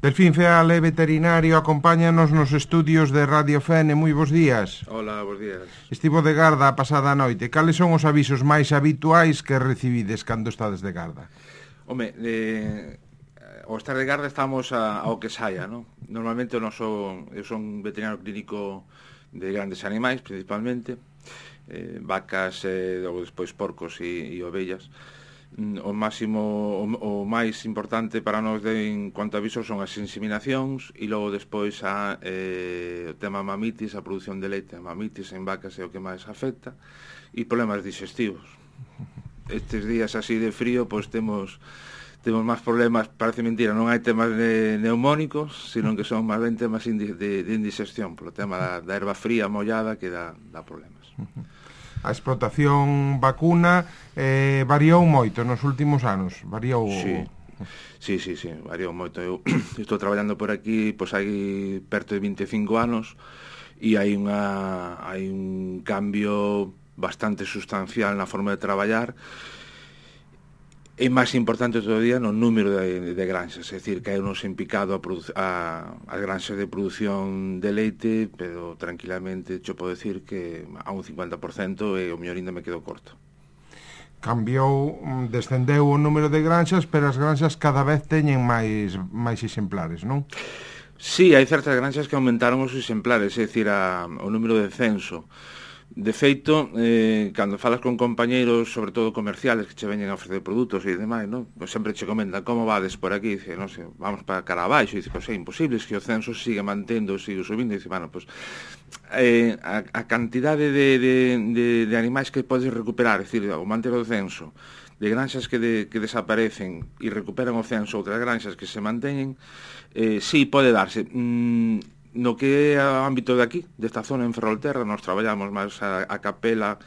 Delfín Feal é veterinario, acompáñanos nos estudios de Radio Fene. Moi bons días. Hola, bons días. Estivo de garda a pasada noite. Cales son os avisos máis habituais que recibides cando estades de garda? Home, ao estar de garda estamos ao que saia, non? Normalmente eu son veterinario clínico de grandes animais, principalmente, vacas, ou despois porcos e ovellas. O máis importante para nós en cuanto a avisos son as inseminacións e logo despois o tema mamitis, a produción de leite. A mamitis en vacas é o que máis afecta e problemas digestivos. Estes días así de frío pois temos máis problemas, parece mentira, non hai temas neumónicos, sino que son máis ben temas de indigestión, polo tema da erva fría mollada que dá problemas. A explotación vacuna variou moito nos últimos anos. Variou. Sí, variou moito. Eu estou traballando por aquí, pois hai perto de 25 anos e hai un cambio bastante sustancial na forma de traballar. É máis importante todavía no número de granxas, é dicir, que hai unos en picado as granxas de produción de leite, pero tranquilamente cho podo decir que a un 50% e o mellor ainda me quedo corto. Cambiou, descendeu o número de granxas, pero as granxas cada vez teñen máis exemplares, non? Sí, hai certas granxas que aumentaron os exemplares, é dicir, o número de censo. De feito, cando falas con compañeiros, sobre todo comerciales, que che veñen a ofrecer produtos e demais, non? Pues sempre che comentan, como vades por aquí? Dice, non sei, vamos para cara abaixo. Dice, pois é imposible, que o censo siga mantendo, siga subindo. Dice, bueno, pues a cantidade de animais que podes recuperar, é dicir, o manter o censo, de granxas que desaparecen e recuperan o censo, outras granxas que se manteñen, sí, pode darse. No que é o ámbito de aquí, desta zona en Ferrolterra, nos traballamos máis a Capela,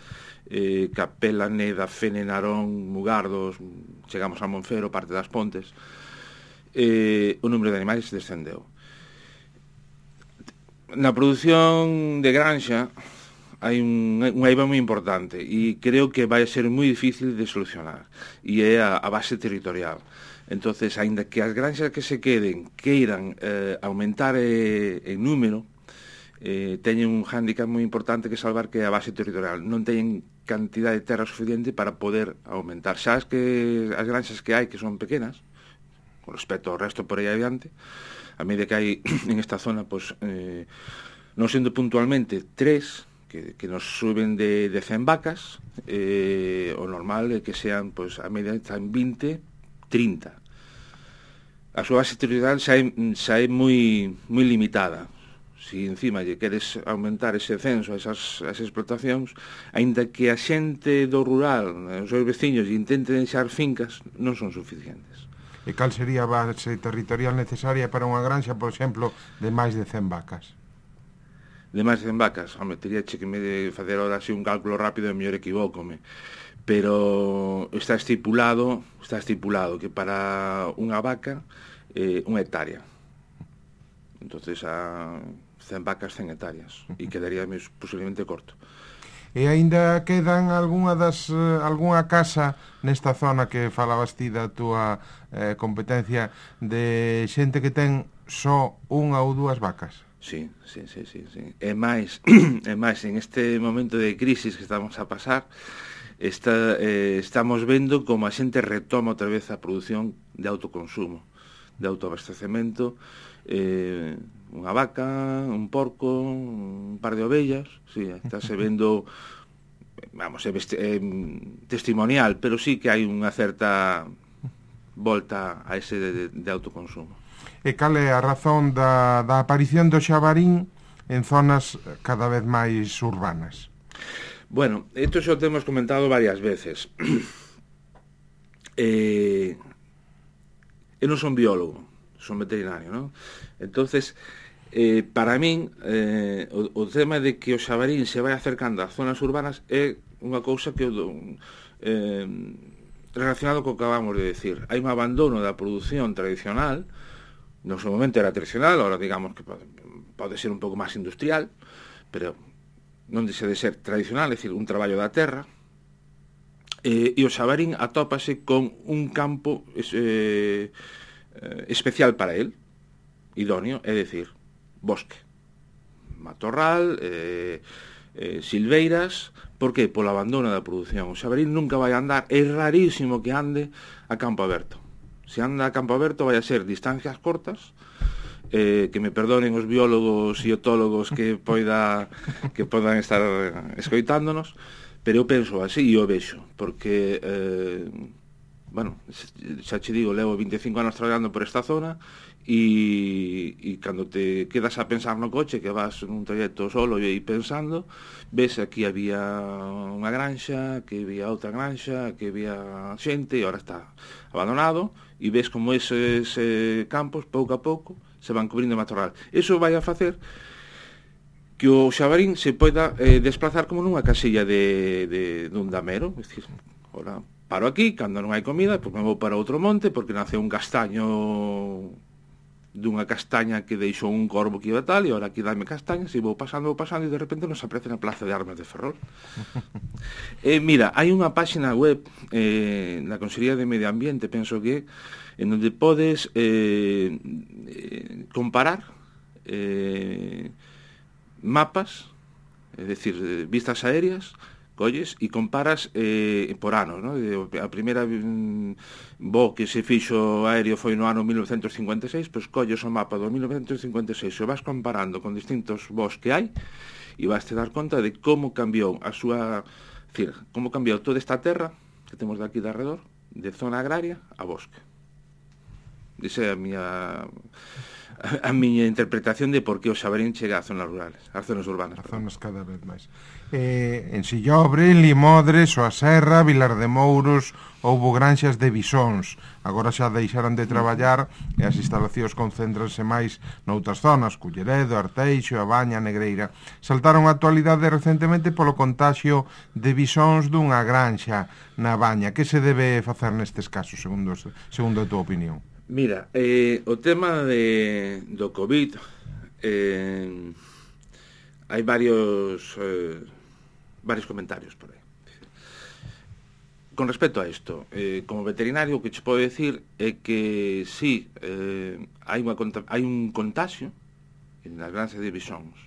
Neda, Fene, Narón, Mugardos, chegamos a Monfero, parte das Pontes. O número de animais descendeu. Na produción de granxa hai un eiva moi importante e creo que vai ser moi difícil de solucionar, e é a base territorial. Entonces, aínda que as granxas que se queden queiran aumentar en número, teñen un hándicap moi importante que salvar, que é a base territorial. Non teñen cantidade de terra suficiente para poder aumentar. Xa as granxas que hai, que son pequenas, con respecto ao resto por aí adiante, a medida que hai en esta zona, pois, non sendo puntualmente 3, que nos suben de 100 vacas, o normal é que sean, pois, a medida están 20, 30. A súa base territorial xa é moi limitada. Se encima lle queres aumentar ese censo, esas explotacións, aínda que a xente do rural, os seus veciños, intenten deixar fincas, non son suficientes. E cal sería a base territorial necesaria para unha granxa, por exemplo, de máis de 100 vacas? De máis de 100 vacas? Home, teria que me facer ahora así un cálculo rápido e mellor equivócome. Pero está estipulado que para unha vaca unha hectárea. Entonces a 100 vacas, 100 hectáreas, e quedaría posiblemente corto. E aínda quedan algunha casa nesta zona que falabas ti da túa competencia, de xente que ten só unha ou dúas vacas? Sí. E máis en este momento de crisis que estamos a pasar, estamos vendo como a xente retoma outra vez a produción de autoconsumo, de autoabastecemento, unha vaca, un porco, un par de ovellas, sí, estáse vendo, vamos, é testimonial, pero sí que hai unha certa volta a ese de autoconsumo. E cal é a razón da aparición do xabarín en zonas cada vez máis urbanas? Bueno, isto xa o temos comentado varias veces. Eu non son biólogo, son veterinario, non? Entonces, para min, o tema de que o xabarín se vai acercando ás zonas urbanas é unha cousa que relacionado co que acabamos de decir. Hai un abandono da produción tradicional, no seu momento era tradicional, ahora digamos que pode ser un pouco máis industrial, pero non deixa de ser tradicional, é dicir, un traballo da terra, e o xabarín atópase con un campo especial para él, idóneo, é dicir, bosque, matorral, silveiras. Por que? Polo abandono da produción. O xabaril nunca vai andar, é rarísimo que ande a campo aberto. Se anda a campo aberto vai a ser distancias cortas, que me perdonen os biólogos e etólogos que podan estar escoitándonos, pero eu penso así e o vexo, porque bueno, xa che digo, levo 25 anos traballando por esta zona e cando te quedas a pensar no coche, que vas nun trayecto solo e pensando, ves aquí había unha granxa, que había outra granxa, que había xente e ahora está abandonado, e ves como eses campos pouco a pouco se van cubrindo de matorral. Iso vai a facer que o xabarín se poida desplazar como nunha casilla dun damero, é dicir, ora paro aquí, cando non hai comida, pois me vou para outro monte, porque nace un castaño dunha castaña que deixou un corvo que iba tal, e ora aquí dame castañas, e vou pasando, e de repente nos aparece na Plaza de Armas de Ferrol. Mira, hai unha páxina web na Consellería de Medio Ambiente, penso que, en onde podes comparar mapas, é dicir, vistas aéreas, colles e comparas por anos, ¿no? A primeira voo que se fixo aéreo foi no ano 1956, pois colles o mapa do 1956 e o vas comparando con distintos voos que hai e vas te dar conta de como cambiou a súa, decir, como cambiou toda esta terra que temos de aquí de alrededor, de zona agraria a bosque. Esa é a miña interpretación de por que o xabarín chega ás zonas rurales, ás zonas urbanas. As zonas cada vez máis. En Sillobre, Limodres, a Serra, Vilar de Mouros, houbo granxas de bisóns. Agora xa deixaran de traballar e as instalacións concéntranse máis noutras zonas, Culleredo, Arteixo, A Baña, Negreira. Saltaron a actualidade recentemente polo contaxio de bisóns dunha granxa na Baña. Que se debe facer nestes casos, segundo a túa opinión? Mira, o tema do COVID, hai varios comentarios por aí. Con respecto a isto, como veterinario, o que che podo decir é que sí, hai un contaxio nas granxas de bisóns.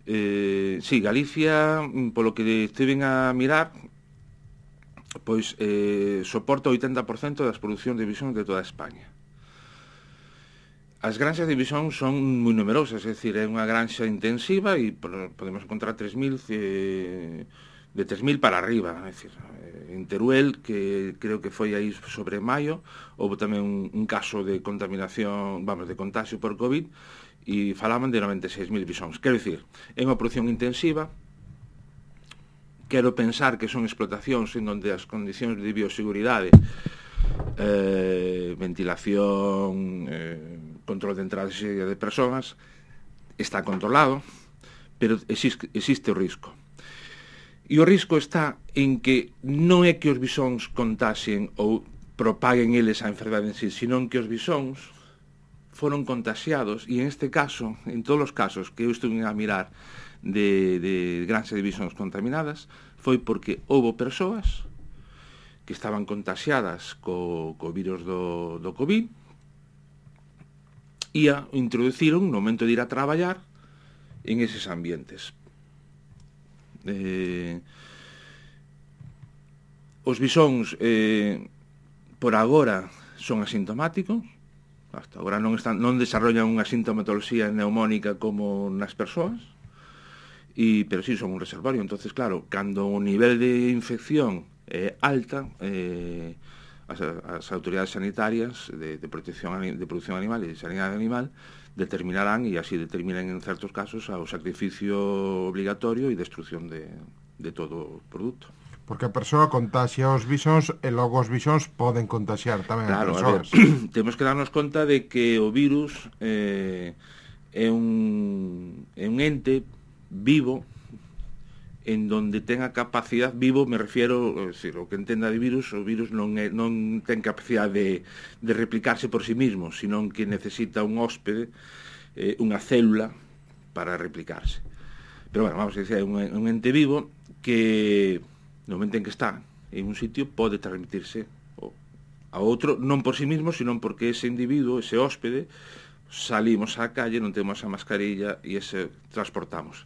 Sí, Galicia, polo que estiven a mirar, pois soporta o 80% das producións de bisóns de toda España. As granxas de bisóns son moi numerosas, é dicir, é unha granxa intensiva e podemos encontrar 3.000 de 3.000 para arriba, é dicir, en Teruel, que creo que foi aí sobre maio, houve tamén un caso de contaminación, de contagio por COVID, e falaban de 96.000 bisóns. Quero dicir, é unha produción intensiva. Quero pensar que son explotacións en onde as condicións de bioseguridade, ventilación, control de entrada e saída de persoas, está controlado, pero existe o risco. E o risco está en que non é que os bisóns contaxen ou propaguen eles a enfermedade en sí, senón que os bisóns foron contaxiados, e en este caso, en todos os casos que eu estuve a mirar de granxas de bisóns contaminadas, foi porque houbo persoas que estaban contaxiadas co virus do COVID e a introduciron no momento de ir a traballar en eses ambientes. Os bisóns por agora son asintomáticos, hasta agora non desarrollan unha sintomatoloxía neumónica como nas persoas, pero sí son un reservorio. Entonces, claro, cando o nivel de infección é alta, as autoridades sanitarias de produción animal e de sanidade animal determinarán, e así determinan en certos casos, o sacrificio obligatorio e destrucción de todo o produto. Porque a persoa contaxia os bisóns e logo os bisóns poden contaxiar tamén as persoas. Temos que darnos conta de que o virus é un ente vivo, en donde ten a capacidade, vivo me refiero, decir, o que entenda de virus, o virus non ten capacidade de replicarse por sí mismo, senón que necesita un hóspede, unha célula para replicarse. Pero bueno, vamos a decir, é un ente vivo que no momento en que está en un sitio pode transmitirse a outro, non por sí mismo, senón porque ese individuo, ese hóspede, salimos á calle, non temos a mascarilla e ese transportamos.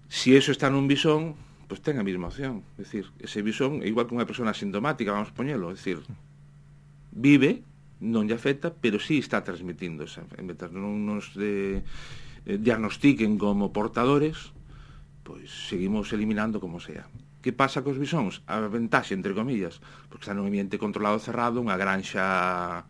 Si eso está nun bisón, pois ten a mesma opción. É dicir, ese bisón é igual que unha persona asintomática, vamos poñelo, é dicir, vive, non lle afecta, pero sí está transmitindo esa enfermedade. Non nos diagnostiquen como portadores, pois seguimos eliminando como sea. Que pasa cos bisóns? A ventaxe, entre comillas, porque está nun ambiente controlado cerrado, unha granxa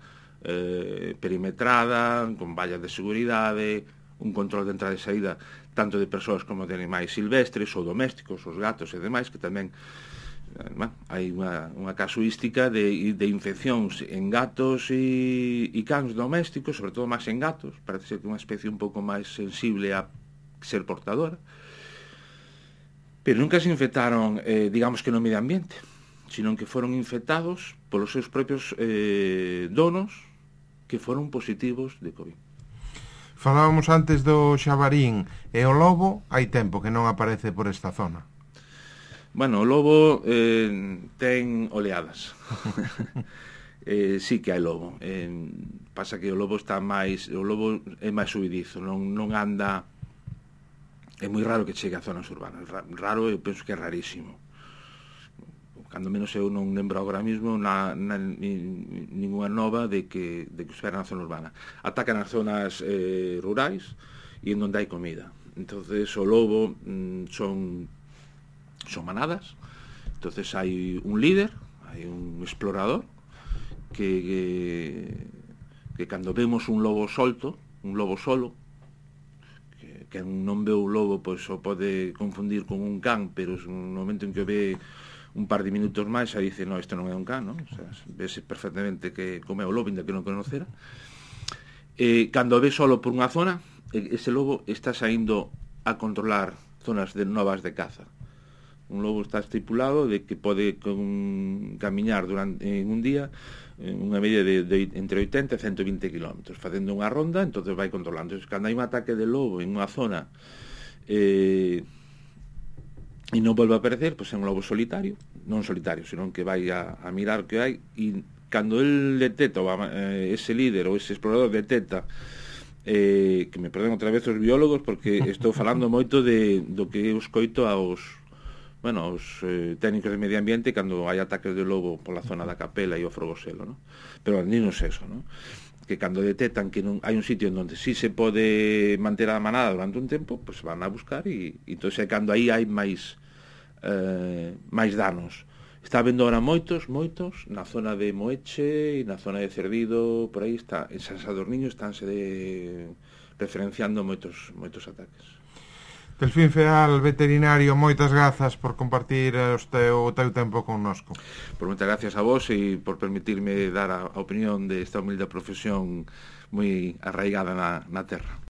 perimetrada, con vallas de seguridade, un control de entrada e saída tanto de persoas como de animais silvestres ou domésticos, os gatos e demais, que tamén hai unha casuística de infeccións en gatos e cans domésticos, sobre todo máis en gatos, parece ser que é unha especie un pouco máis sensible a ser portadora, pero nunca se infectaron, digamos que no medio ambiente, sino que foron infectados polos seus propios donos que foron positivos de COVID. Falábamos antes do xabarín e o lobo, hai tempo que non aparece por esta zona. Bueno, o lobo ten oleadas. Sí que hai lobo. Pasa que o lobo é máis subidizo, non anda. É moi raro que chegue a zonas urbanas. Raro, eu penso que é rarísimo. Cando menos eu non lembro agora mesmo ninguna nova de que espera na zona urbana. Atacan as zonas rurais e en onde hai comida. Entonces o lobo son manadas. Entonces hai un líder, hai un explorador que cando vemos un lobo solto, un lobo solo, que non ve o lobo, pois o pode confundir con un can, pero no momento en que o ve un par de minutos máis, xa dice, no, isto non é un can, non? O sea, vese perfectamente que como é o lobo, ainda que non conocera. Cando ve solo por unha zona, ese lobo está saindo a controlar zonas novas de caza. Un lobo está estipulado de que pode camiñar en un día unha media de entre 80 e 120 km, facendo unha ronda, entonces vai controlando. Cando hai un ataque de lobo en unha zona e non volve a aparecer, pois é un lobo solitario, non solitario, senón que vai a mirar que hai, e cando el detecta, ese líder ou ese explorador detecta, que me perden outra vez os biólogos, porque estou falando moito do que eu escoito aos técnicos de medio ambiente cando hai ataques de lobo pola zona da Capela e o Frogoselo, ¿no? Pero non é eso, ¿no? Que cando detectan que non hai un sitio onde sí se pode manter a manada durante un tempo, pues van a buscar e entón é cando aí hai máis danos. Está habendo ahora moitos na zona de Moeche e na zona de Cerdido, por aí está, en San Sadurniño estánse referenciando moitos ataques. Delfín Feal, veterinario, moitas grazas por compartir o teu tempo connosco. Por moitas gracias a vos e por permitirme dar a opinión desta humilde profesión moi arraigada na terra.